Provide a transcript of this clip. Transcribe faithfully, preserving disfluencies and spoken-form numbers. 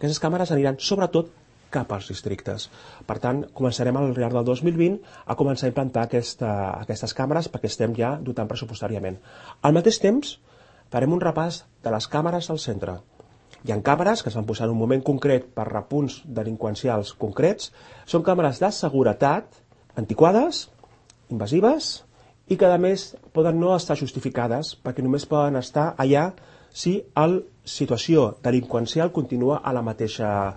Aquestes càmeres aniran sobretot cap als districtes. Per tant, començarem al llarg del dos mil vint a començar a implantar aquesta, aquestes càmeres perquè estem ja dotant pressupostàriament. Al mateix temps, farem un repàs de les càmeres al centre. Hi ha càmeres que es van posar en un moment concret per repunts delinqüencials concrets. Són càmeres de seguretat, antiquades, invasives i que a més poden no estar justificades perquè només poden estar allà si la situació delinqüencial continua a la mateixa